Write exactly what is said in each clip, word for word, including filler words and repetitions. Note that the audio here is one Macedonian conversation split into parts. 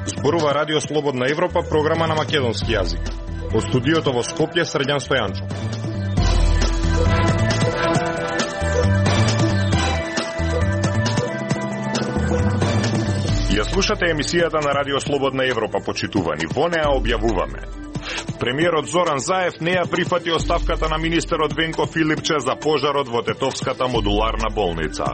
Зборува Радио Слободна Европа, програма на македонски јазик. Од студиото во Скопје, Срđan Стојанчов. Ја слушате емисијата на Радио Слободна Европа, почитувани. Во неа објавуваме: премиерот Зоран Заев не ја прифати оставката на министерот Венко Филипче за пожарот во Тетовската модуларна болница.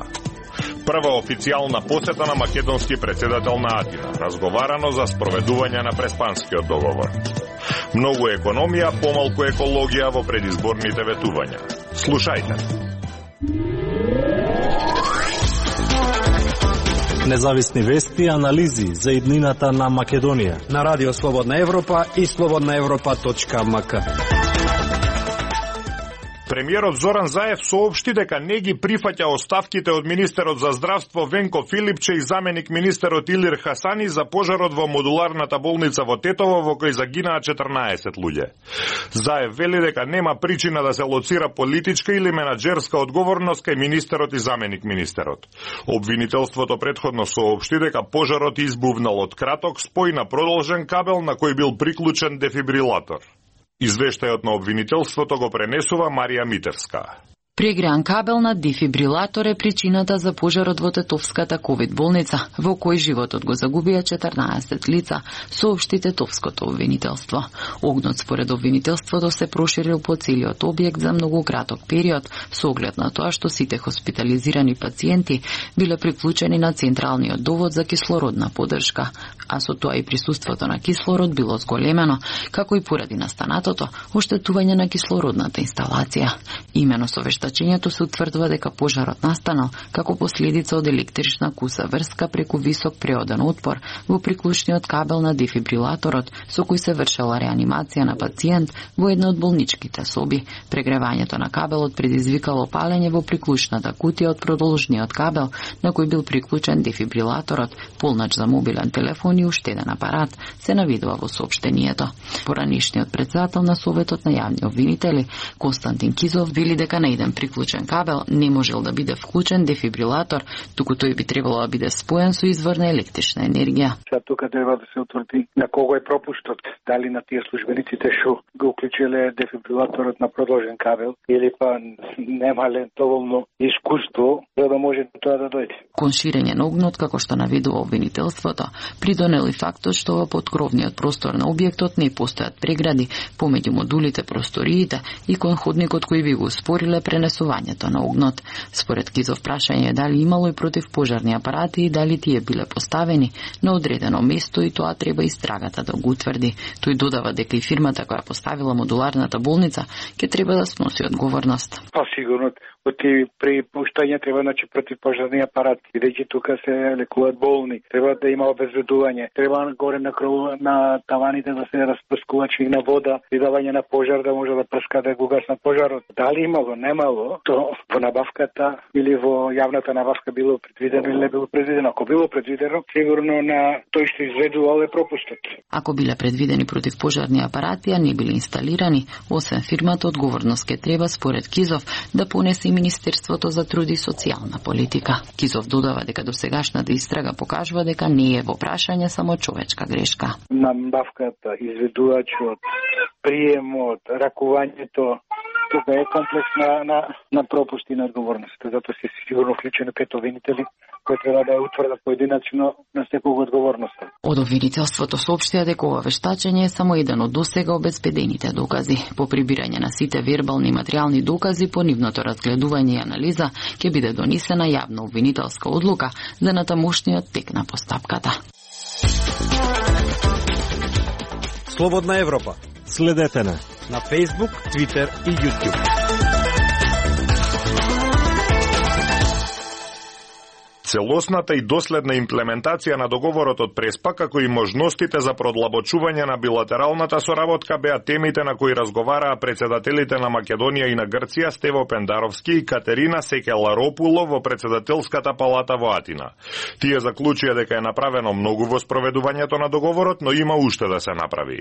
Прва официјална посета на македонски претседател на Атина. Разговарано за спроведување на Преспанскиот договор. Многу економија, помалку екологија во предизборните ветувања. Слушајте. Независни вести и анализи за иднината на Македонија на Радио Слободна Европа и слободна европа точка ем ка. Премиерот Зоран Заев соопшти дека не ги прифаќа оставките од министерот за здравство Венко Филипче и заменик министерот Илир Хасани за пожарот во модуларната болница во Тетово, во кој загинаа четрнаесет луѓе. Заев вели дека нема причина да се лоцира политичка или менаџерска одговорност кај министерот и заменик министерот. Обвинителството претходно соопшти дека пожарот избувнал од краток спој на продолжен кабел на кој бил приклучен дефибрилатор. Извештајот на обвинителството го пренесува Марија Митевска. Прегреан кабел на дефибрилатор е причината за пожарот во Тетовската ковид болница, во кој животот го загубија четрнаесет лица, соопшти Тетовското обвинителство. Огнот според обвинителството се проширил по целиот објект за многу краток период, со оглед на тоа што сите хоспитализирани пациенти биле приклучени на централниот довод за кислородна поддршка, а со тоа и присуството на кислород било зголемено, како и поради настанатото оштетување на кислородната инсталација. Имено со вештачењето се утврдува дека пожарот настанал како последица од електрична куса врска преку висок преоден отпор во приклучниот кабел на дефибрилаторот со кој се вршела реанимација на пациент во една од болничките соби. Прегревањето на кабелот предизвикало палење во приклучната кутија од продолжниот кабел на кој бил приклучен дефибрилаторот, полнач за мобилен телефон и уштеден апарат, се навидува во соопштението. Поранишниот председател на Советот на јавни обвинители Константин Кизов вели дека на еден приклучен кабел не можел да биде вклучен дефибрилатор, туку тој би требало да биде споен со извор на електрична енергија. Сега тука треба да се утврди на кого е пропуштот, дали на тие службениците што го уклучиле дефибрилаторот на продолжен кабел или па немале доволно искуство за да може тоа да дојде. Кон ширење на огнот, како што наведува обвинителството, придонел и фактот што во поткровниот простор на објектот не постојат прегради помеѓу модулите, просториите и кон ходникот кој би го спориле пренесувањето на огнот. Според Кизов прашање дали имало и противпожарни апарати и дали тие биле поставени на одредено место и тоа треба истрагата да го утврди. Тој додава дека и фирмата која поставила модуларната болница ќе треба да сноси одговорност. Па сигурно оти при пуштање треба значи противпожарни апарати, бидејќи тука се лекуваат болни, треба да има обезбедување, треба горе на кров на таваните да се распрскувачи на вода и давање на пожар да може да прска да го гасна пожарот. Дали имало, немало, то во набавката или во јавната набавка било предвидено или не било предвидено. Ако било предвидено, сигурно на тој што изведувал е пропустот. Ако биле предвидени противпожарни апарати, а не биле инсталирани, освен фирмата, одговорност ке треба според Кизов да понесе и Министерството за труд и социјална политика. Кизов додава дека досегашната истрага покажува дека не е во прашање само човечка грешка. Набавката, изведувачот, приемот, ракувањето, тука е комплекс на, на, на пропусти и на одговорност. Затоа се сигурно вклучени пет обвинители кои треба да утврдат поединачно на секого одговорноста. Од обвинителството соопштија дека ова вештачење е само еден од досега обезбедените докази. По прибирање на сите вербални и материјални докази, по нивното разгледување и анализа, ќе биде донесена јавна обвинителска одлука за натамошниот тек на постапката. Слободна Европа. Следете на на Facebook, Twitter и YouTube. Целосната и доследна имплементација на договорот од Преспа, како и можностите за продлабочување на билатералната соработка беа темите на кои разговараа председателите на Македонија и на Грција Стево Пендаровски и Катерина Секеларопуло во председателската палата во Атина. Тие заклучија дека е направено многу во спроведувањето на договорот, но има уште да се направи.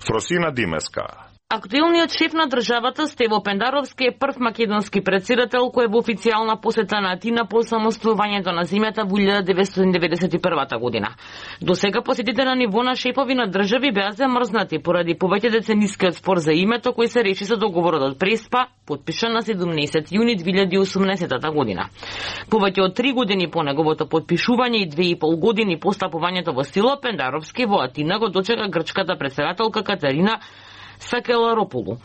Фросина Димеска. Актуелниот шеф на државата Стево Пендаровски е прв македонски претседател кој е во официјална посета на Атина по самостојувањето на земјата во илјада деветстотини деветдесет и прва година. До сега посетите на ниво на шефови на држави беа замрзнати поради повеќе деценискиот спор за името кој се реши со договорот од Преспа, потпишан на седумнаесети јуни две илјади и осумнаесета година. Повеќе од три години по неговото потпишување и две и пол години по стапувањето во сила, Пендаровски во Атина го дочека грчката претседателка Катерина Сакеларополу.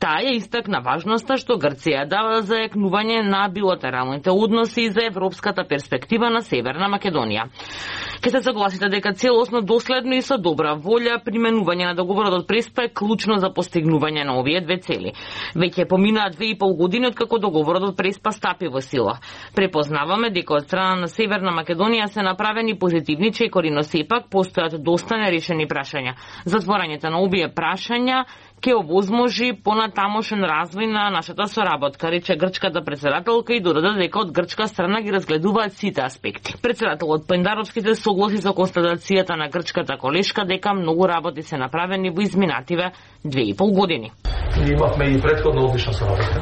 Таа ја истакна важноста што Грција дава за зајакнување на билатералните односи и за европската перспектива на Северна Македонија. Ке се согласите дека целосно, доследно и со добра волја применување на договорот од Преспа е клучно за постигнување на овие две цели. Веќе поминаа две и пол години откако договорот од Преспа стапи во сила. Препознаваме дека од страна на Северна Македонија се направени позитивни чекори, но сепак постојат доста нерешени прашања. Затворањето на овие прашања ќе овозможи понатамошен развој на нашата соработка, рече грчката претседателка и додаде дека од грчка страна ги разгледуваат сите аспекти. Претседателот Пендаровски се согласи со констатацијата на грчката колешка дека многу работи се направени во изминативе две и пол години. Имавме и претходно одлична соработка.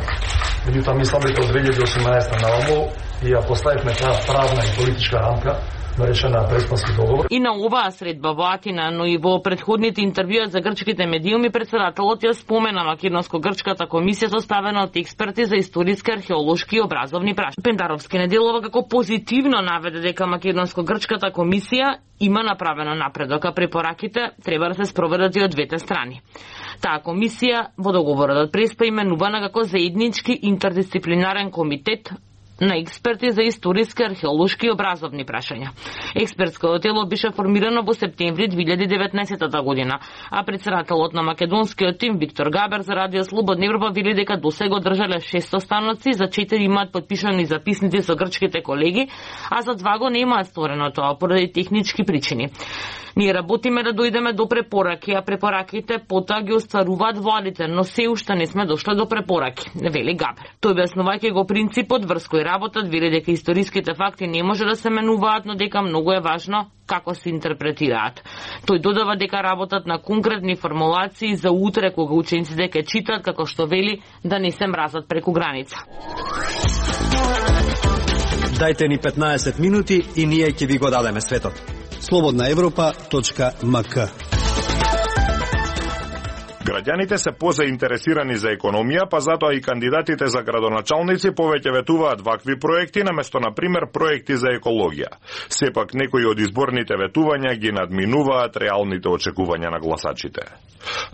Меѓутоа мислам дека од две илјади и осумнаесета наомо ја поставивме таа правна и политичка рамка наречена Преспански договор. И на оваа средба во Атина, но и во претходните интервјуа за грчките медиуми, претседателот ја спомена македонско-грчката комисија составена од експерти за историски, археолошки и образовни прашања. Пендаровски неделова како позитивно наведе дека македонско-грчката комисија има направено напредок, а препораките треба да се спроведат и од двете страни. Таа комисија во договорот од Преспа именувана како заеднички интердисциплинарен комитет на експерти за историски, археолошки и образовни прашања. Експертското тело беше формирано во септември две илјади и деветнаесета година, а претседателот на македонскиот тим Виктор Габер за Радио Слободна Европа вели дека досега одржале шестsto станоци, за четири имаат потпишани записници со грчките колеги, а за два го немаат сторено тоа поради технички причини. Ние работиме да дојдеме до препораки, а препораките потоа ги остваруваат владите, но се уште не сме дошле до препораки, вели Габер. Тој објаснувајќи го принципот врз кој работат, вели дека историските факти не може да се менуваат, но дека многу е важно како се интерпретираат. Тој додава дека работат на конкретни формулации за утре кога учениците ќе читаат, како што вели, да не се мразат преку граница. Дајте ни петнаесет минути и ние ќе ви го дадеме светот. слободна европа точка ем ка. Граѓаните се позаинтересирани за економија, па затоа и кандидатите за градоначалници повеќе ветуваат вакви проекти наместо на пример проекти за екологија. Сепак некои од изборните ветувања ги надминуваат реалните очекувања на гласачите.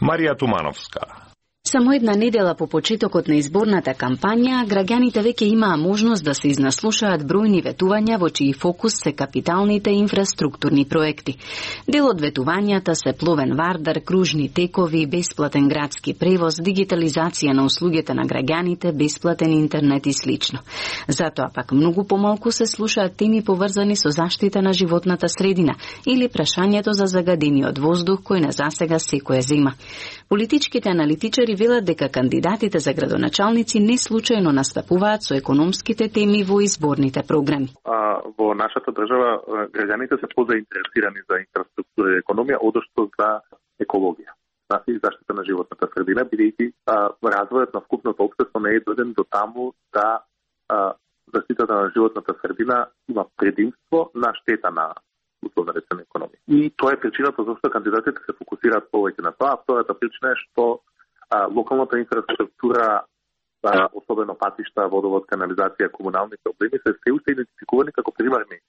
Марија Тумановска. Само една недела по почетокот на изборната кампања, граѓаните веќе имаа можност да се изнаслушаат бројни ветувања во чии фокус се капиталните инфраструктурни проекти. Дел од ветувањата се пловен вардар, кружни текови, бесплатен градски превоз, дигитализација на услугите на граѓаните, бесплатен интернет и слично. Затоа пак многу помалку се слушаат теми поврзани со заштита на животната средина или прашањето за загадениот воздух кој на засега секој зема. Политичките аналитичари велат дека кандидатите за градоначалници не случајно настапуваат со економските теми во изборните програми. А, во нашата држава граѓаните се позаинтересирани за инфраструктура и економија, одошто за екологија и заштита на животната средина, бидејќи развојот на вкупното општество не е дојден до таму да а, заштитата на животната средина има предимство на штета на условно речено економија. И тоа е причината зашто кандидатите се фокусираат повеќе на тоа. Втората причина е што а, локалната инфраструктура, а, особено патишта, водовод, канализација, комунални проблеми се се уште идентификувани како примарни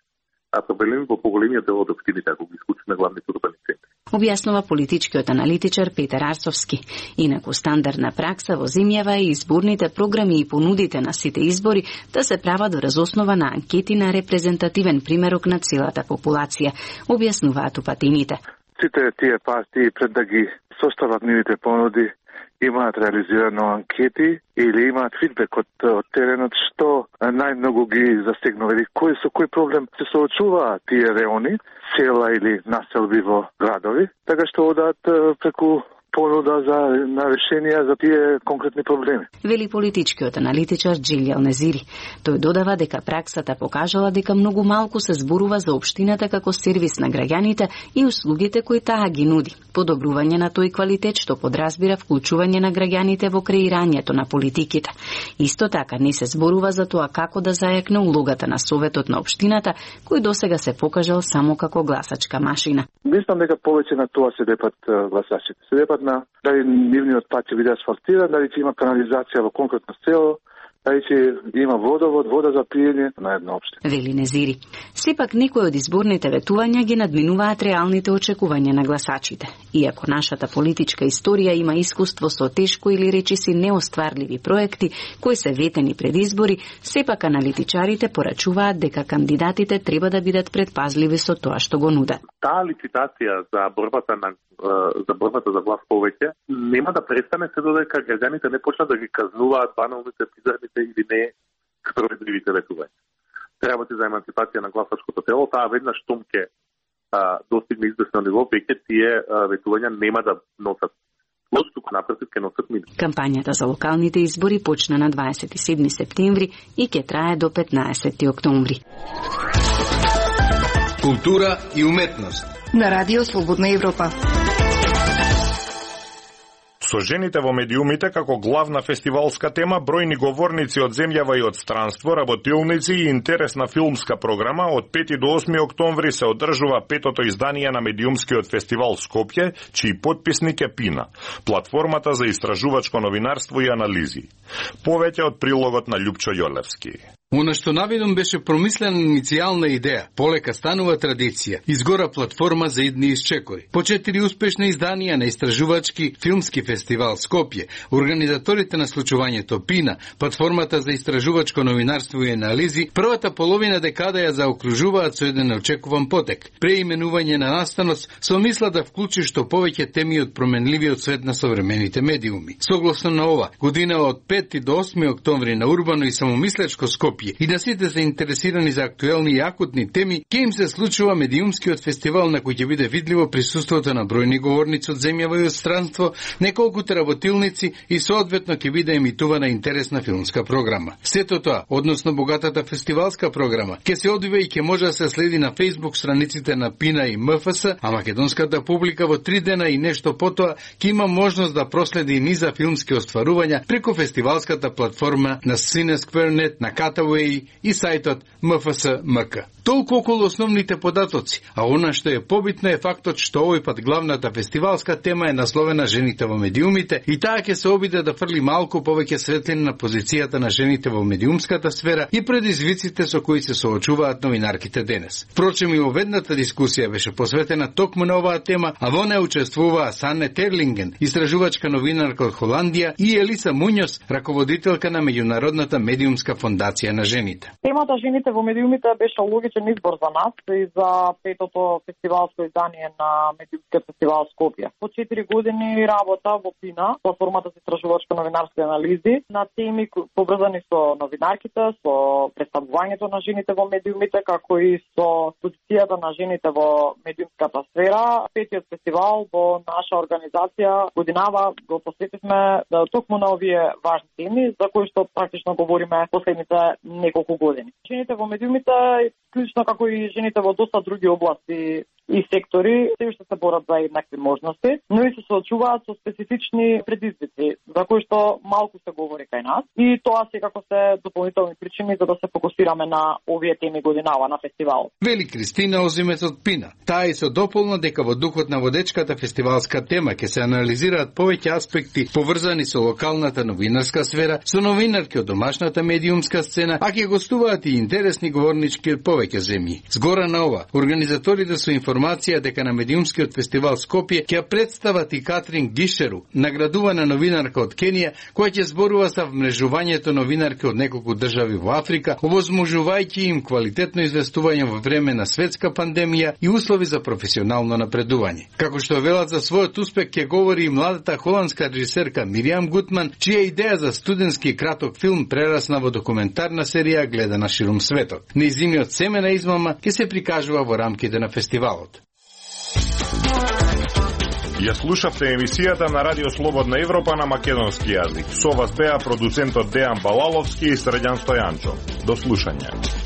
а проблеми во поголемиот дел од општините, ако ги исклучиме главните урбани центри. Објаснува политичкиот аналитичар Петар Арцовски. Инаку стандардна пракса во земјава е изборните програми и понудите на сите избори да се прават врз основа на анкети на репрезентативен примерок на целата популација, објаснуваат упатените. Сите тие партии пред да ги состават нивните понуди имаат реализирано анкети или имаат фидбек од, од теренот што најмногу ги засегнува или кој со кој проблем се соочуваат тие реони, села или населби во градови, така што одат преку понуда за на решенија за тие конкретни проблеми. Вели политичкиот аналитичар Джилјал Незири. Тој додава дека праксата покажала дека многу малку се зборува за општината како сервис на граѓаните и услугите кои таа ги нуди. Подобрување на тој квалитет што подразбира вклучување на граѓаните во креирањето на политиките. Исто така не се зборува за тоа како да зајакне улогата на Советот на општината, кој досега се покажал само како гласачка машина. Мислам дека повеќе на тоа се депат гласачите. Се депат на дали нивниот пат ќе биде асфалтиран, дали ќе има канализација во конкретно село, дали ќе има водовод, вода за пиење на една општина. Вели Незири. Сепак некои од изборните ветувања ги надминуваат реалните очекувања на гласачите. Иако нашата политичка историја има искуство со тешко или речиси неостварливи проекти кои се ветени пред избори, сепак аналитичарите порачуваат дека кандидатите треба да бидат предпазливи со тоа што го нудат. Таа лицитација за борбата на за борбата за власт повеќе нема да престане се додека граѓаните не почнат да ги казнуваат баналните, пизарните или не справедливите ветувања. Треба ти за емансипација на гласачкото тело, таа веднаш штом ќе достигне известно ниво, веќе тие ветувања нема да носат лош, туку напротив ќе носат минус. Кампањата за локалните избори почна на дваесет и седми септември и ќе трае до петнаесети октомври. Култура и уметност на Радио Слободна Европа. Со жените во медиумите како главна фестивалска тема, бројни говорници од земјава и од странство, работилници и интересна филмска програма од пети до осми октомври се одржува петото издание на медиумскиот фестивал Скопје, чиј потписник е Пина, платформата за истражувачко новинарство и анализи. Повеќе од прилогот на Љупчо Јолевски. Она што наведом беше промислена иницијална идеја, полека станува традиција, изгора платформа за идни исчекори. По четири успешни изданија на истражувачки филмски фестивал Скопје, организаторите на случувањето Пина, платформата за истражувачко новинарство и анализи, првата половина декада ја заокружуваат со еден неочекуван потек, преименување на настанот со мисла да вклучи што повеќе теми од променливиот свет на современите медиуми. Согласно на ова, година од пети до осми октомври на урбано и самомислечко Скопје и да сите заинтересирани за актуелни и акутни теми, ке им се случува медиумскиот фестивал на кој ќе биде видливо присуството на бројни говорници од земјава и од странство, неколку работилници и соодветно ќе биде емитувана интересна филмска програма. Сето тоа, односно богатата фестивалска програма, ќе се одвива и ќе може да се следи на Facebook страниците на Пина и М Ф С, а македонската публика во три дена и нешто потоа ќе има можност да проследи и низа филмски остварувања преку фестивалската платформа на CineSquare.net, на Cataway и сајтот М Ф С М К. Толку околу основните податоци, а она што е побитно е фактот што овој пат главната фестивалска тема е насловена жените во медиумите и таа ќе се обиде да фрли малку повеќе светлина на позицијата на жените во медиумската сфера и предизвиците со кои се соочуваат новинарките денес. Впрочем, и оведната дискусија беше посветена токму на оваа тема, а во неа учествуваа Санне Терлинген, истражувачка новинарка од Холандија, и Елиса Муњос, раководителка на меѓународната медиумска фондација на жените. Темата жените во медиумите беше логичен избор за нас и за петото фестивалско издание на медиумскиот фестивал Скопје. По четири години работа во Пина, платформата за истражувачко новинарство и анализи, на теми поврзани со новинарките, со представувањето на жените во медиумите, како и со позицијата на жените во медиумската сфера. Петиот фестивал во наша организација годинава го посветивме да токму на овие важни теми за кои што практично говориме последните неколку години. Жените во медиумите, клучно како и жените во доста други области и сектори, се уште се борат за еднакви можности, но и се соочуваат со специфични предизвици, за кои што малку се говори кај нас, и тоа секако се дополнителни причини за да се фокусираме на овие теми годинава на фестивал. Вели Кристина Озимец од Пина. Таа и се дополна дека во духот на водечката фестивалска тема ќе се анализираат повеќе аспекти поврзани со локалната новинарска сфера, со новинарки од домашната медиумска сцена, а ќе гостуваат и интересни говорнички од повеќе земји. Згора на ова, организаторите со информација дека на медиумскиот фестивал Скопје ќе представат и Катрин Гишеру, наградувана новинарка од Кенија, која ќе зборува за вмрежувањето новинарки од неколку држави во Африка, овозможувајќи им квалитетно известување во време на светска пандемија и услови за професионално напредување. Како што велат за својот успех ќе говори и младата холандска режисерка Мириам Гутман, чија идеја за студентски краток филм прерасна во документарна серија гледана ширум светот. Нејзиниот семена измама ќе се прикажува во рамките на фестивалот. Ја слушавте емисијата на Радио Слободна Европа на македонски јазик. Со вас беа продуцентот Дејан Балаловски и Срđan Стојанчо. До слушање.